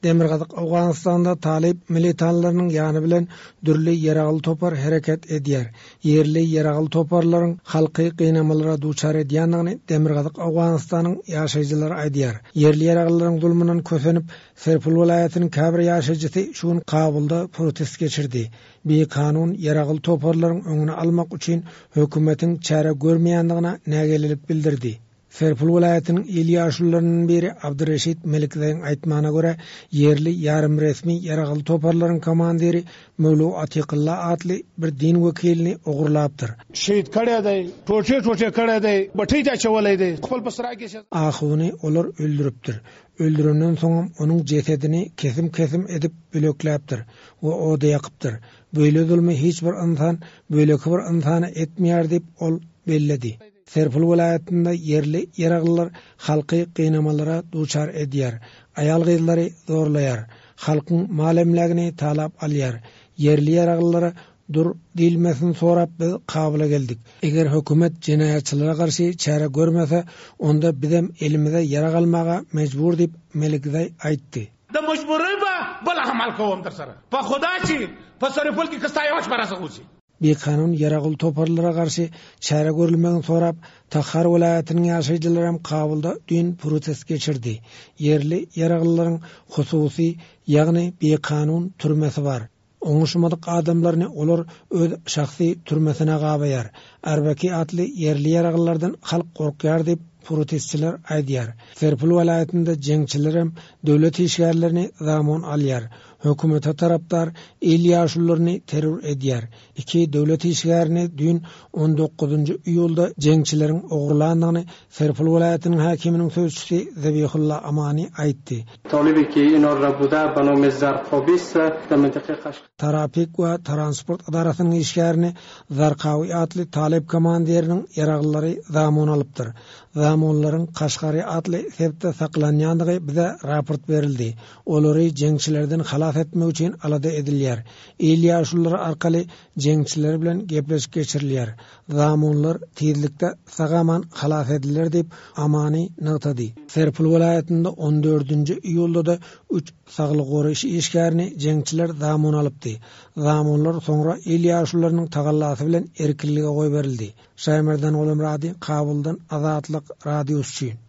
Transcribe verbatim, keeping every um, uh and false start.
Demirgazyk Owganystanda talyp militanlarynyň ýany bilen dürli ýaragly topar hereket edýär. Ýerli ýaragly toparlaryň halky gynamalara duçar edýändigini Demirgazyk Owganystanyň ýaşaýjylary aýdýar. Ýerli ýaraglylaryň zulmundan kösenip, Serpil welaýatynyň käbir ýaşaýjysy şu gün Kabulda protest geçirdi. Bikanun ýaragly toparlaryň öňüni almak üçin hökümetiň çäre görmeýändigine nägilelik bildirdi. Serpil welaýatynyň il ýaşulularyndan biri Abdyreşit Melikzeýiň aýtmagyna görä, ýerli ýarym resmi ýaragly toparlaryň komandiri Möwlu Atikylla atly bir din wekilini ogurlapdyr. شهید کړی دی ټوټې ټوټې کړی دی بټۍ ته اچولی دی خپل په سرای کې Ahuny olar öldüripdir. Öldürenden soňam onuň jesedini kesim-kesim edip bölekläpdir we oda ýakypdyr. Böyle zulmy hiç bir ynsan böleki bir ynsana etmeýär diýip ol belledi. Serpil welaýatynda ýerli ýaraglylar halky gynamalara duçar edýär. Aýal gyzlary zorlaýar. Halkyň mal emlägini talap alýar. Ýerli ýaraglylara dur diýilmesini sorap biz Kabula geldik. Eger hökümet jenaýatçylara garşy çäre görmese, onda bizem elimize ýarag almaga mejbur diýip Melikzaý aýtdy. د مجبورۍ به بل عمل کوم در سره په خدا چې په سرپل کې کستا یو شپه راسره اوسي. Bikanun ýaragly toparlara garşy çäre görülmegini sorap, Takhar welaýatynyň ýaşaýjylary hem Kabulda düýn protest geçirdi. Ýerli ýaraglylaryň hususy, ýagny bikanun türmesi bar. Oňuşmadyk adamlaryny olar öz şahsy türmesine gabaýar. Arbaki atly ýerli ýaraglylardan halk gorkýar diýip protestçiler aýdýar. Serpil welaýatynda jeňçiler hem döwlet işgärlerini zamon alýar. Hökümete tarapdar il ýaşulularyny terror edýär. Iki döwlet işgärini düýn on dokuzynjy iýulda jeňçileriň ogurlandygyny Serpil welaýatynyň häkiminiň sözçüsi Zebihulla Amani aýtdy. Talibi ki inar rabuda banom Zarqabi da mintaqa Qashqar. Trafik we transport edarasynyň işgärini Zarqawi atly talyp komandiriniň ýaraglylary zamon alypdyr. Zamonlaryň Kaşgary atly sebitde saklanýandygy bize raport berildi. Olary jeňçilerden halas etmek üçin alada edilýär. Il ýaşululary arkaly jeňçiler bilen gepleşik geçirilýär. Zamonlar tizlikde sagaman halas ediler diýip Amani nygtady. Serpil welaýatynda on dördünji iýulda da üç saglyk goraýyş işgärini jeňçiler zamon alypdy. Zamonlar soňra il ýaşulularynyň tagallasy bilen erkinlige goýberildi. Şaýmerdan Olamrady, Kabuldan Azatlyk radiosy üçin.